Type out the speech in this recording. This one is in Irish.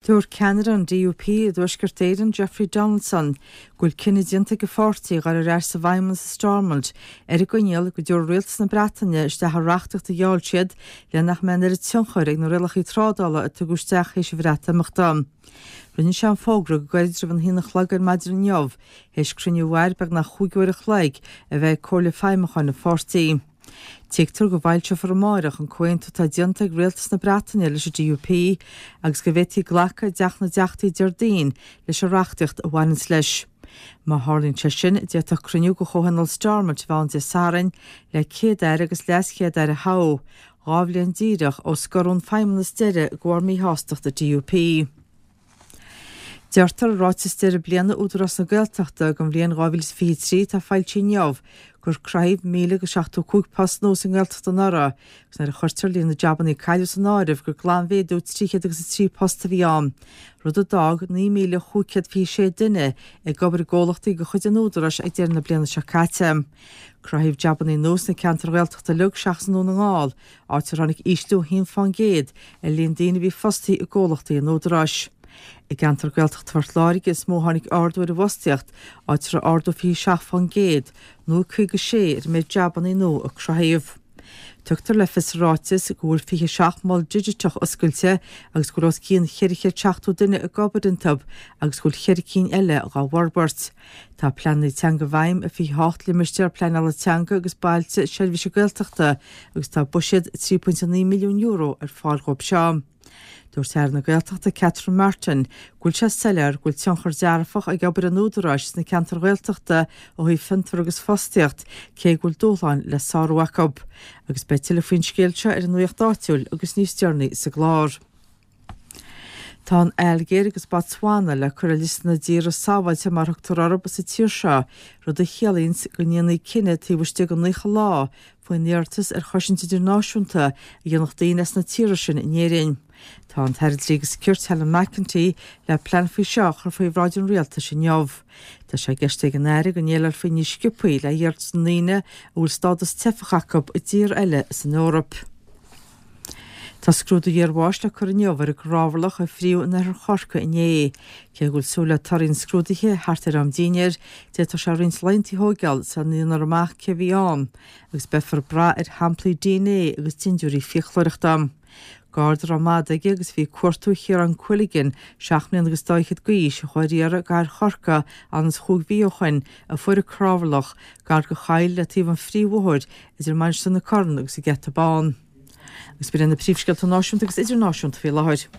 Dúirt ceannaire an DUP i dTuaisceart Éireann, Jeffrey Donaldson, go bhfuil cinneadh déanta ag a pháirtí a dhul ar ais sa bhFeidhmeannas i Stormont ar an gcoinníoll go dtabharfaidh Rialtas na Breataine isteach an reachtaíocht a gheall siad le nach mbeidh an oiread tionchair ag na rialacha trádála a tugadh isteach théis an Bhreatimeachta. Rinne sé an fógra go gairid roimh an haon a chlog ar maidin inniu théis cruinniú a mhair beagnach chúig uair a chloig a bheith ag Comhairle Feidhmiúcháin an pháirtí. Tuigtear go bhfoilseofar amáireach an comhaontú atá déanta ag Rialtas na Breataine leis an DUP agus go bhféadfaí glacadh i dTeach na dTeachtaí Déardaoin leis an reachtaíocht a bhaineanns leis. Má tharlaíonn sé sin, d'fhéadfadh cruinniú de Chomhthionól Stormont a bheith ann Dé Sathairn le Céad-Aire agus LeasChéad-Aire a thoghadh, 2 bhliain díreach ó scoradh ón Feidhmeannas deiridh de bharr míshástacht an DUP. Deirtear i ráiteas deireadh bliana Údarás na Gaeltachta don bhliain 2023 atá foilsithe inniu gur cruthaíodh 1,075 post nua sa nGaeltacht anuraidh agus nuair a chuirtear líon na jabannaí a cailleadh san áireamh gur glanmhéadú 303 post a bhí ann, rud a d'fhág 9,526 duine ag obair i gcomhlachtaí de chuid an Údaráis ag deireadh na bliana seo caite. Cruthaíodh jabannaí nua sna ceantair Ghaeltachta uilig seachas i nDún na nGall, áit ar tháinig ísliú 1% ar líon daoine a bhí fostaithe i gcomhlachtaí an Údaráis. I gceantar Gaeltachta Phort Láirge is mó a tháinig ardú ar an bhfostaíocht, áit a raibh ardú 27% nó 56 ar an méid jabannaí nua a cruthaíodh. Tugtar le fios sa ráiteas go bhfuil 27 mol digiteach oscailte agus go bhfuil os cionn 470 duine ag obair iontu agus go bhfuil cheithre cinn eile dhá bhforbairt. Tá pleananna teanga i bhfeidhm i 28 limistéar pleanála teanga agus bailte seirbhíse Gaeltachta agus tá buiséad €3.9 milliún ar fáil dhóibh seo. Dúirt Aire na Gaeltachta Catherine Martin go bhfuil sé soiléir go bhfuil tionchar dearfach ag obair an Údaráis sna ceantair Ghaeltachta ó thaobh fiontar agus fostaíocht cé go bhfuil dúshláin le sárú acu. Agus beidh tuilleadh faoin scéal seo ar an Nuacht Áitiúil agus níos deireanaí sa gclár. Tá an Ailgéir agus Botswana le cur ar liosta na dtíortha sábháilte mar a thugtar orthu sa tír seo, rud a chiallaíonns go ndéanfaí cinneadh taobh istigh de 90 lá faoin iarratas ar chosaint idirnáisiúnta a dhéanfadh daoine as na tíortha sin in Éirinn. Tá an tAire Dlí agus Cirt Helen McEntee le plean faoi seo a chur faoi bhráid an Rialtais inniu. Tá sé i gceist ag an Aire go ndéileálfaí níos sciobthaí le hiarratais na ndaoine a bhfuil stádas teifeach acu i dtír eile san Eoraip. Tá scrúdú iarbháis le cur inniu ar an gcnámharlach a fríodh in oirthear Chorcaí inné. Cé go bhfuil súil le torthaí an scrúdaithe thart ar am dinnéir, d'fhéadfadh sé roinnt laethanta a thóigeáil sula ndéanfar amach cé a bhí ann, agus beifear ag brath ar shamplaí dna agus dindiúirí fiaclóireachta. Garda a raibh mada aige agus a bhí ag cuartú Chiarán Quilligan, seacht mbliana agus dá fhichead d'aois, a chuaigh ar iarraidh i gcathair Chorcaí anonn is chúig mhí ó shoin, a fuair an cnámharlach, gar do choill le taobh an phríomhbhóthair idir Mainistir na Corann agus an Geata Bán. Agus b'in iad na príomhscéalta náisiúnta agus idirnáisiúnta faoi láthair.